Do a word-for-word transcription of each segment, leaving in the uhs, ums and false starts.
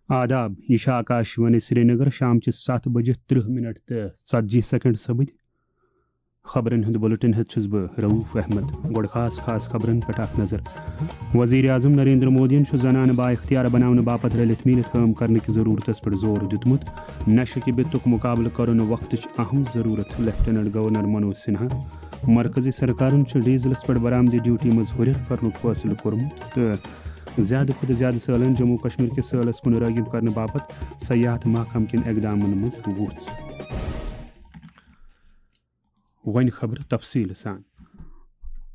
آداب، یہِ چھِ آکاش وانی سرینگر، شام چہِ ستھ بجہِ ترٕہ منٹ تہٕ ژتجی سیکنڈ سپٕدۍ۔ خبرن ہُنٛد بُلٹن ہیٚتھ چھُس بہٕ رؤف احمد۔ گۄڈٕ خاص خاص خبرن پٮ۪ٹھ اکھ نظر۔ وزیر اعظم نریندر مودیَن چھُ زنانہٕ بااختیار بناونہٕ باپتھ رٔلِتھ میٖلِتھ کٲم کرنہٕ کہِ ضروٗرتس پٮ۪ٹھ زور دیُتمُت۔ نشہٕ کہِ بِتُک مُقابلہٕ کرُن وقتٕچ اہم ضروٗرت، لیفٹیننٹ گورنر منوج سنہا۔ مرکزی سرکارن چھُ ڈیزلس پٮ۪ٹھ برآمدی ڈیوٹی منٛز ہُرٮ۪ر کرنُک فٲصلہٕ کوٚرمُت تہٕ زیادٕ کھۄتہٕ زیادٕ سٲلٲنۍ جموں کشمیر کِس سٲلس کُن رٲغب کرنہٕ باپتھ سیاحت محکمہٕ کٮ۪ن اقدامن منٛز وُژھ۔ وۄنۍ خبرٕ تفصیٖل سان۔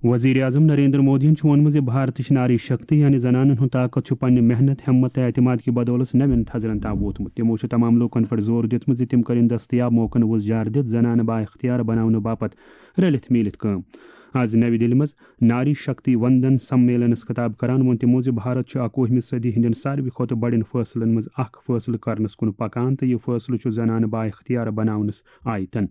وزیر اعظم نریندر مودیَن چھُ ووٚنمُت زِ بھارتٕچ ناری شکتی، یعنی زنانن ہُنٛد طاقت، چھُ پننہِ محنت، ہمت تہٕ اعتماد کہِ بدولس نوٮ۪ن تھزرن تام ووتمُت۔ تِمو چھُ تمام لوٗکن پٮ۪ٹھ زور دیُتمُت زِ تِم کٔرِن دستیاب موقعن وُزجار دِتھ زنانہٕ بااختیار بناونہٕ باپتھ رٔلِتھ میٖلِتھ کٲم۔ آز نَوِ دِلہِ منٛز ناری شکتی وندن سمیلنس خطاب کران ووٚن تِمو زِ بھارت چھُ اکوُہمہِ صدی ہٕنٛدٮ۪ن ساروی کھۄتہٕ بڑٮ۪ن فٲصلن منٛز اکھ فٲصلہٕ کرنس کُن پکان تہٕ یہِ فٲصلہٕ چھُ زنانہٕ بااختیار بناونس آیتن۔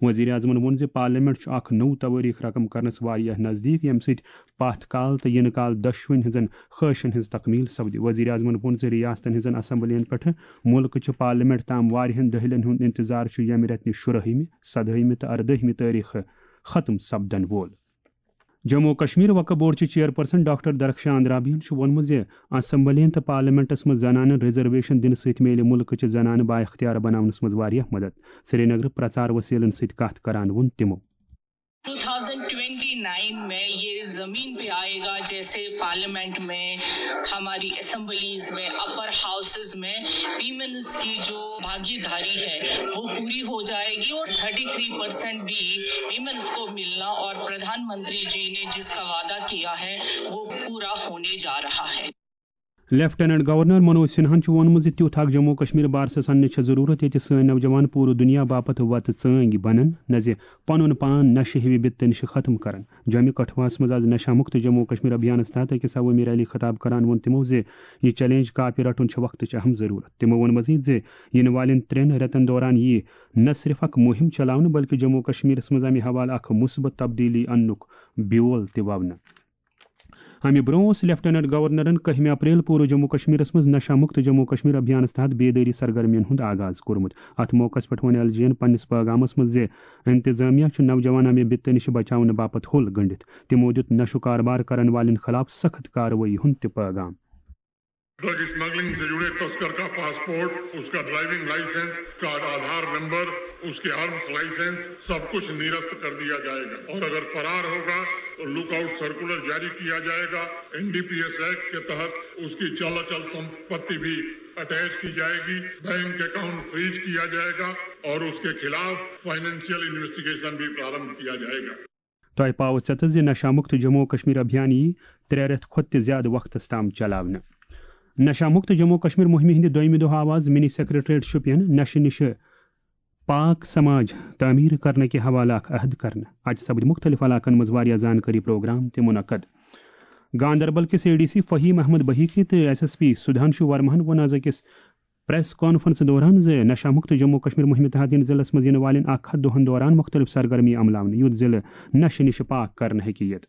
وزیر اعظمن ووٚن زِ پارلیمنٹ چھُ اکھ نوٚو توٲریخ رقم کرنس واریاہ نزدیک، ییٚمہِ سۭتۍ پتھ کال تہٕ یِنہٕ کال دۄشوٕنۍ ہٕنٛزن خٲہشن ہٕنٛز تکمیل سپدِ۔ وزیر اعظمن ووٚن زِ ریاستن ہٕنٛزن اسمبلین پٮ۪ٹھ مُلکہٕ چہِ پارلیمنٹ تام واریاہن دٔہلن ہُنٛد انتظار چھُ، ییٚمہِ رٮ۪تہٕ نہِ شُرٲہمہِ، سدٲہمہِ تہٕ اردٲہمہِ تٲریخہٕ ختم سپدن وول۔ جموں و کشمیر وقف بورڈ چہِ چیئرپرسن ڈاکٹر درخشان اندرابیَن چھُ ووٚنمُت زِ اسمبلین تہٕ پارلیمنٹس منٛز زنانن ریزرویشن دِنہٕ سۭتۍ میلہِ مُلکہٕ چہِ زنانہٕ بااختیار بناونس منٛز واریاہ مدد۔ سرینگرٕ پرچار وسیلن سۭتۍ کتھ کران ووٚن تِمو۔ ٹو تھاؤزینڈ ٹوینٹی نائن میں یہ زمین پہ آئے گا، جیسے پارلیمنٹ میں، ہماری اسمبلیز میں، اپر ہاؤسز میں ویمنز کی جو بھاگیداری ہے، وہ پوری ہو جائے گی اور تھرٹی تھری پرسینٹ بھی ویمنز کو ملنا اور پردھان منتری جی نے جس کا وعدہ کیا ہے، وہ پورا ہونے جا رہا ہے۔ لیفٹیننٹ گورنر منوج سنہاہن چھُ ووٚنمُت زِ تیُتھ اکھ جموں کشمیر بارسس اننٕچ چھےٚ ضروٗرت، ییٚتہِ سٲنۍ نوجوان پوٗرٕ دُنیا باپتھ وتہٕ ژٲنگۍ بنن، نہ زِ پنُن پان نشہٕ ہِوِ بِتہٕ نِشہِ ختم کرن۔ جومہِ کٹھواہس منٛز آز نشہ مکت جموں کشمیر ابھیانس تحت أکِس عوٲمی ریلی خطاب کران ووٚن تِمو زِ یہِ چیلنج کاپہِ رٹُن چھُ وقتٕچ اہم ضروٗرت۔ تِمو ووٚن مزید زِ یِنہٕ والٮ۪ن ترٛٮ۪ن رٮ۪تن دوران یِیہِ نہ صرف اکھ مُہِم چلاونہٕ، بلکہِ جموں کشمیرس منٛز امہِ حوالہٕ اکھ مثبت تبدیلی اننُک بیول تہِ وونہٕ۔ امہِ برونٛہہ اوس لیفٹیننٹ گورنرن کٔہمہِ اپریل پوٗرٕ جموں کشمیرس منٛز نشہ مکت جموں کشمیر ابھیانس تحت بیدٲری سرگرمین ہُنٛد آغاز کوٚرمُت۔ اتھ موقعس پٮ۪ٹھ ووٚن ایل جی ین پننِس پٲغامس منٛز زِ انتظامیہ چھُ نوجوان امہِ بِتہٕ نِش بچاونہٕ باپتھ ہوٚل گٔنٛڈِتھ۔ تِمو دیُت نشہٕ کاربار کرن والٮ۪ن خلاف سخت کاروٲیی ہُنٛد تہِ پٲغام۔ ڈرگ اسمگلنگ سے جڑے تسکر کا پاسپورٹ، اس کا ڈرائیونگ لائسنس، اس کا آدھار نمبر، اس کے آرمز لائسنس، سب کچھ نرست کر دیا جائے گا اور اگر فرار ہوگا تو لک آؤٹ سرکولر جاری کیا جائے گا۔ N D P S act کے تحت اس کی چل اچل سمپتی بھی اٹیچ کی جائے گی، بینک اکاؤنٹ فریز کیا جائے گا اور اس کے خلاف فائنینشیل انویسٹیگیشن بھی پرارمبھ کیا جائے گا۔ تۄہہِ پاوٕ ژٮ۪تس زِ نشہ مکت جموں و کشمیر ابھیان یی ترٛےٚ رٮ۪تھ کھۄتہٕ تہِ زیادٕ وقتس تام چلاونہٕ۔ نشہ مکت جموں و کشمیر مہمہِ ہٕنٛدِ دوٚیمہِ دۄہ آو آز منی سیکریٹریٹ شوپین نشہٕ نِشہٕ پاک سماج تعمیٖر کرنہٕ کہِ حوالہٕ اکھ عہد کرنہٕ۔ اتہِ سپدِ مُختٔلِف علاقن منٛز واریاہ زانکٲری پروگرام تہِ منعقد۔ گاندربل کِس A D C Faheem Ahmad Baihaqi تہٕ ایس ایس پی سدھانشو ورماہن ووٚن آز أکِس پریس کانفرنس دوران زِ نشہ مکت جموں و کشمیر مہمہِ تحت یِن ضلعس منٛز یِنہٕ والٮ۪ن اکھ ہتھ دۄہن دوران مختلف سرگرمی عملاونہٕ، یُتھ ضلعہٕ نشہٕ نِشہٕ پاک کرنہٕ ہیٚکہِ یِتھ۔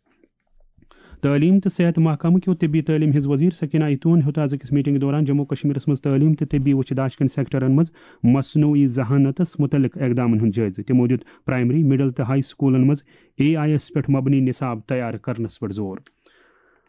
تعلیٖم تہٕ صحت محکمہٕ کیو طبی تعلیٖم ہٕنٛز وزیر سکینہ ایتون ہیوٚت آز أکِس میٹنگ دوران جموں و کشمیرس منٛز تعلیٖم تہٕ طبی وٕچھِ داشہِ کٮ۪ن سیکٹرن منٛز مصنوعی ذہانتس متعلق اقدامن ہُنٛد جٲیزٕ۔ تِمو دیُت پرائمری، مڈل تہٕ ہائی سکولن منٛز اے آئی یس پٮ۪ٹھ مبنی نصاب تیار کرنس پٮ۪ٹھ زور۔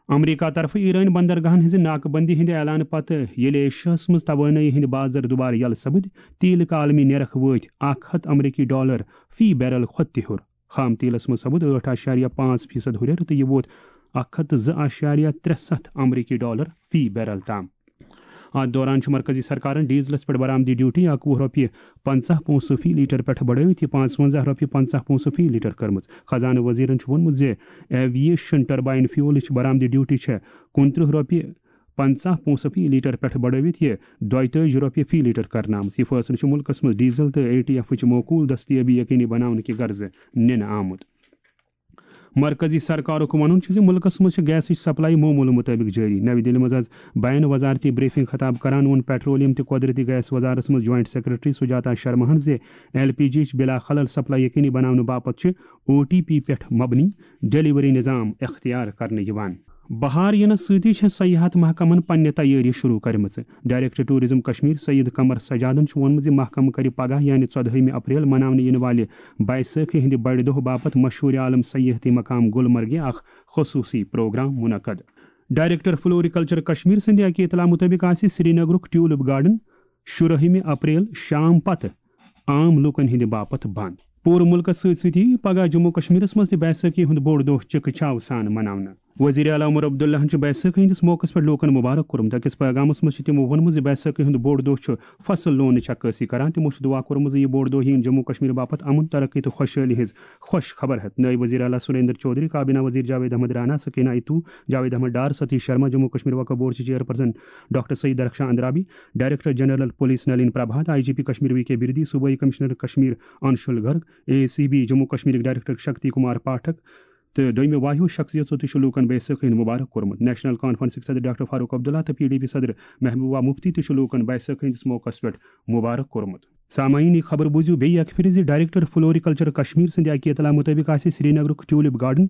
امریکہ طرفہٕ ایرٲنۍ بندرگاہن ہٕنٛزِ ناکہٕ بندی ہٕنٛدِ اعلانہٕ پتہٕ ییٚلہِ ایشیاہس منٛز توانٲیی ہٕنٛدۍ بازر دُبارٕ یلہٕ سپٕدۍ، تیلٕکۍ عالمی نرخ وٲتۍ اکھ ہتھ امریکی ڈالر فی بیرل کھۄتہٕ تہِ ہیوٚر۔ خام تیلس منٛز سپُد ٲٹھ اعشاریہ پانٛژھ فیصد ہُرٮ۪ر تہٕ یہِ ووت اکھ ہتھ تہٕ زٕ اعشاریہ ترٛےٚ ستھ امریکی ڈالر فی بیرل تام۔ اتھ دوران چھُ مرکزی سرکارن ڈیزلس پٮ۪ٹھ برآمدی ڈیوٹی اکوُہ رۄپیہِ پنژاہ پونٛسہٕ فی لیٹر پٮ۪ٹھ بڑٲوِتھ یہِ پانٛژونٛزاہ رۄپیہِ پنژاہ پونٛسہٕ فی لیٹر کٔرمٕژ۔ خزانہٕ وزیرن چھُ ووٚنمُت زِ ایویشن ٹربائن فیولٕچ برآمدی ڈیوٹی چھےٚ کُنترٕہ رۄپیہِ پنژاہ پونٛسہٕ فی لیٹر پٮ۪ٹھ بڑٲوِتھ یہِ دۄیتٲجی رۄپیہِ فی لیٹر کرنہٕ آمٕژ۔ یہِ فٲصلہٕ چھُ مُلکَس منٛز ڈیزل تہٕ اے ٹی ایفٕچ معقوٗل دٔستیٲبی یقینی بناونہٕ کہِ غرضہٕ نِنہٕ آمُت۔ مرکزی سرکارُک وَنُن چھُ زِ مُلکَس منٛز چھِ گیسٕچ سپلائی معموٗلہٕ مُطٲبِق جٲری۔ نَوِ دِلہِ منٛز آز بین وزارتی بریفنگ خطاب کران ووٚن پیٹرولیم تہٕ قۄدرٔتی گیس وزارتَس منٛز جوائنٹ سیکرٹری سجاتا شرماہَن زِ ایل پی جی یِچ بلا خلل سپلائی یقینی بناونہٕ باپتھ چھِ او ٹی پی پٮ۪ٹھ مبنی ڈیلیوری نظام اختیار کرنہٕ یِوان۔ بہار یِنس سۭتی چھےٚ سیاحت محکمن پننہِ تیٲری شروع کرِمٕژ۔ ڈائریکٹر ٹورازم کشمیر سید قمر سجادن چھُ ووٚنمُت زِ محکمہٕ کرِ پگاہ یعنی ژۄدہٲیمہِ اپریل مناونہٕ یِنہٕ والہِ بیسٲکھی ہٕنٛدِ بڑِ دۄہ باپتھ مشہوٗر عالم سیاحتی مقام گلمرگہِ اکھ خصوٗصی پروگرام منعقد۔ ڈائریکٹر فلوریکلچر کشمیر سٕنٛدِ اکہِ اطلاع مُطٲبِق آسہِ سرینگرُک ٹیولپ گارڈن شُرٲہمہِ اپریل شام پتہٕ عام لوٗکن ہٕنٛدِ باپتھ بنٛد۔ پوٗرٕ مُلکَس سۭتۍ سۭتۍ یِیہِ پگاہ جموں کشمیرَس منٛز تہِ بیسٲکھی ہُنٛد بوٚڑ دۄہ چِکہٕ چاو سان مناونہٕ۔ وزیر اعلیٰ عمر عبداللہَن چھُ بیسٲکھی ہٕنٛدِس موقعس پٮ۪ٹھ لوٗکَن مبارک کوٚرمُت۔ أکِس پیغامَس منٛز چھُ تِمو ووٚنمُت زِ بیسٲکھی ہُنٛد بوٚڑ دۄہ چھُ فصل لونٕچ عکٲسی کران۔ تِمو چھُ دُعا کوٚرمُت زِ یہِ بوٚڑ دۄہ یِیِن جموں کشمیر باپتھ امن، ترقی تہٕ خۄشحٲلی ہٕنٛز خۄش خبر ہٮ۪تھ۔ نٲیِب وزیر اعلیٰ سریندر چودھری، کابینہ وزیر جاوید احمد رانا، سکینہ ایتو، جاوید احمد ڈار، ستیش شرما، جموں کشمیر وقف بورڈ چہِ chairperson doctor Syed Darakhshan Andrabi, director general police Nalin Prabhat, I G P Kashmir V K Birdi, صوبائی commissioner Kashmir Anshul Garg, A C B Jammu کشمیرٕکۍ ڈائریکٹر شکتی کمار پاٹھک تہٕ دوٚیمہِ واہیو شخصیژو تہِ چھُ لوٗکن بیسٲکھی ہُنٛد مبارک کوٚرمُت۔ نیشنل کانفرنسٕکۍ صدر ڈاکٹر فاروق عبداللہ تہٕ پی ڈی پی صدر محبوبہ مفتی تہِ چھُ لوٗکن بیسٲکھی ہٕنٛدِس موقعس پٮ۪ٹھ مبارک کوٚرمُت۔ سامعین، یہِ خبر بوٗزِو بیٚیہِ اکہِ پھِرِ زِ ڈائریکٹر فلوریکلچر کشمیر سٕنٛدِ اکہِ اطلاع مُطٲبِق آسہِ سرینگرُک ٹیولپ گارڈن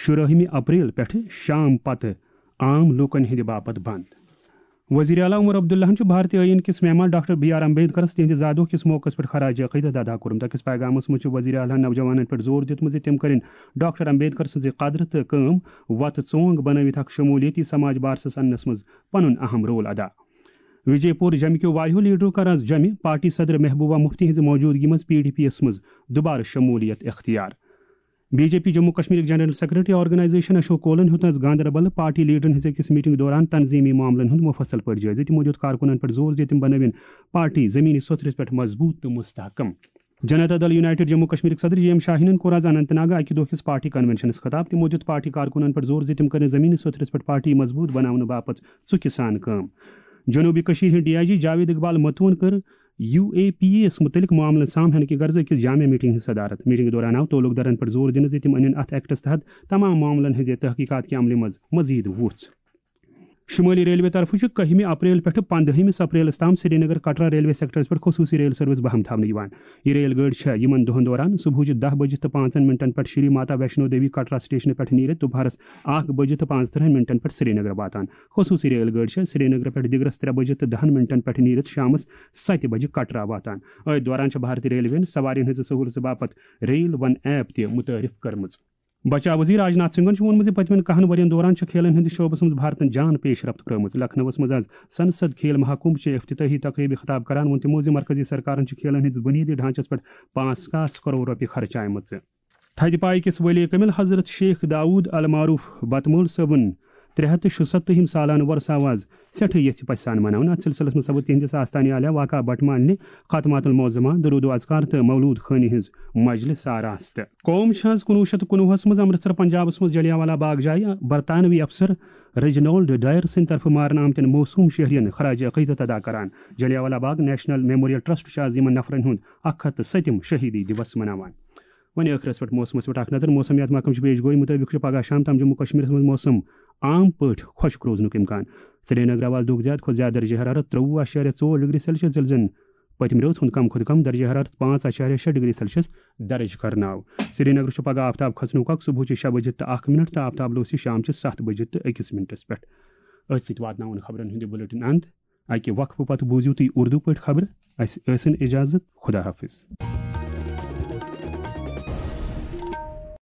شُرٲہمہِ اپریل پٮ۪ٹھٕ شام پتہٕ عام لوٗکن ہٕنٛدِ باپتھ بنٛد۔ وزیر اعلیٰ عمر عبداللہَن چھُ بھارتی ٲییٖن کِس مہمان ڈاکٹر بی آر امبیڈکرَس تِہنٛدِ زادٕ دۄہ کِس موقعس پٮ۪ٹھ خراج عقیدت ادا کوٚرمُت۔ أکِس پیغامَس منٛز چھُ وزیر اعلیٰ نوجوانَن پٮ۪ٹھ زور دیُتمُت زِ تِم کٔرِن ڈاکٹر امبیڈکر سٕنٛزِ قدرٕ تہٕ کٲم وتہٕ ژونگ بنٲوِتھ اکھ شمولیتی سماج بارسَس اننَس منٛز پنُن اہم رول ادا۔ وجے پور جمہِ کیو واریاہو لیڈرو کٔر از جمہِ پارٹی صدر محبوبہ مفتی ہٕنٛزِ موجودگی منٛز پی ڈی پی یَس منٛز دُبارٕ شمولیت اختیار۔ بی جے پی جموں کشمیرٕکۍ جنرل سیکرٹری آرگنائزیشن اشوک کولن ہیوٚت از گاندربل پارٹی لیڈرن ہٕنٛز أکِس میٹنگ دوران تنظیمی معاملن ہُنٛد مفصل پٲٹھۍ جٲیزٕ۔ تِمو دیُت کارکُنن پٮ۪ٹھ زور زِ تِم بنٲوِن پارٹی زمینی سوٚتھرِس پٮ۪ٹھ مضبوط تہٕ مستحکم۔ جنتا دل یونائیٹڈ جموں کشمیرٕکۍ صدر جی ایم شاہینن کوٚر از اننت ناگہٕ اکہِ دۄہ کِس پارٹی کنونشنس خطاب۔ تِمو دیُت پارٹی کارکُنن پٮ۪ٹھ زور زِ تِم کٔرِن زمینی سوٚتھرِس پٮ۪ٹھ پارٹی مضبوط بناونہٕ باپتھ ژُکہِ سان کٲم۔ جنوبی کشمیر ہٕنٛدۍ ڈی آئی جی جاوید اقبال متوَن کٔر یو اے پی اے یَس مُتعلِق معاملن سامہنہٕ کہِ غرضہٕ أکِس جامع میٹنگ ہٕنٛز صدارت۔ میٹنگ دوران آو تعلق دارن پٮ۪ٹھ زور دِنہٕ زِ تِم أنِن اتھ ایکٹس تحت تمام معاملن ہٕنٛدِ تحقیقات کہِ عملہِ منٛز مزید وُژھ۔ شمٲلی ریلوے طرفہٕ چھُ کٔہمہِ اپریل پٮ۪ٹھٕ پنٛدہمِس اپریلس تام سرینگر کٹرا ریلوے سیکٹرس پٮ۪ٹھ خصوٗصی ریل سروس بہم تھاونہٕ یِوان۔ یہِ ریل گٲڑۍ چھےٚ یِمن دۄہن دوران صبحٕچہِ دَہ بجہِ تہٕ پانٛژن منٹن پٮ۪ٹھ شری ماتا ویشنو دیوی کٹرا سٹیشنہٕ پٮ۪ٹھ نیٖرِتھ دُپہرس اکھ بجہِ تہٕ پانٛژترٕہن منٹن پٮ۪ٹھ سرینگر واتان۔ خصوٗصی ریل گٲڑۍ چھےٚ سرینگرٕ پٮ۪ٹھ دِگرس ترٛےٚ بجہِ تہٕ دَہن منٹن پٮ۪ٹھ نیٖرِتھ شامس ستہِ بجہِ کٹرا واتان۔ أتھۍ دوران چھِ بھارتی ریلوے یَن سوارین ہٕنٛزِ سہوٗلژٕ باپتھ ریل ون ایپ تہِ متعارف کٔرمٕژ۔ بچاو وزیر راجناتھ سنگھن چھُ ووٚنمُت زِ پٔتمٮ۪ن کَہَن ؤرین دوران چھِ کھیلن ہٕنٛدِس شعبس منٛز بھارتن جان پیش رفت پرٲومٕژ۔ لکھنؤَس منٛز از سنسد کھیل مہاکمبھ چہِ افتتاحی تقریبہِ خطاب کران ووٚن تِمو زِ مرکزی سرکارن چھِ کھیلن ہٕنٛدِس بُنیٲدی ڈھانچس پٮ۪ٹھ پانٛژھ ساس کرور رۄپیہِ خرچایمژٕ۔ تھدِ پایہِ کِس ولی کمل حضرت شیخ داؤد المعروف بتمول صٲبُن ترٛےٚ ہَتھ تہٕ شُسَتتٕہِم سالانہٕ وۄرثہٕ آو از سٮ۪ٹھٕے یژھِ پژھِ سان مناونہٕ۔ اتھ سلسلس منٛز سپُد تِہنٛدِس آستانہِ عالیہ واقع بٹہٕ محلہِ ختمات المعظمہ، درود و اذکار تہٕ مولود خٲنی ہٕنٛز مجلس آراستہٕ۔ قوم چھِ از کُنوُہ شیٚتھ تہٕ کُنوُہَس منٛز امرتسر پنجابس منٛز جلیانوالہ باغ جایہِ برطانوی افسر ریجنالڈ ڈائر سٕنٛدِ طرفہٕ مارنہٕ آمتٮ۪ن معصوم شہرین خراج عقیدت ادا کران۔ Jallianwala Bagh national memorial trust چھُ از یِمن نفرن ہُنٛد اکھ ہتھ تہٕ سٔتِم شہیدی دیوس مناوان۔ وۄنۍ ٲخرس پٮ۪ٹھ موسمس پٮ۪ٹھ اکھ نظر۔ موسمیات محکمہٕ چھِ پیش گوئی مُطٲبِق چھُ پگاہ شام تام جموں کشمیرس منٛز موسم عام پٲٹھۍ خۄشک روزنُک امکان۔ سرینگر آو از دۄہُک زیادٕ کھۄتہٕ زیادٕ درجہ حرارت ترٛوٚوُہ اعشاریہ ژور ڈگری سیلسیس، ییٚلہِ زن پٔتمہِ رٲژ ہُنٛد کم کھۄتہٕ کم درجہ حرارت پانٛژھ اعشاریہ شےٚ ڈگری سیلسیس درج کرنہٕ آو۔ سرینگر چھُ پگاہ آفتاب کھسنُک وقت صبحٕچہِ شےٚ بجہِ تہٕ اکھ منٹ تہٕ آفتاب لوسہِ شامچہِ ستھ بجہِ تہٕ أکِس منٹس پٮ۪ٹھ۔ أتھۍ سۭتۍ واتناوُن خبرن ہُنٛد یہِ بُلیٹن اند۔ اکہِ وقفہٕ پتہٕ بوٗزِو تُہۍ اردو پٲٹھۍ خبرٕ۔ اسہِ ٲسِن اجازت۔ خدا حافظ۔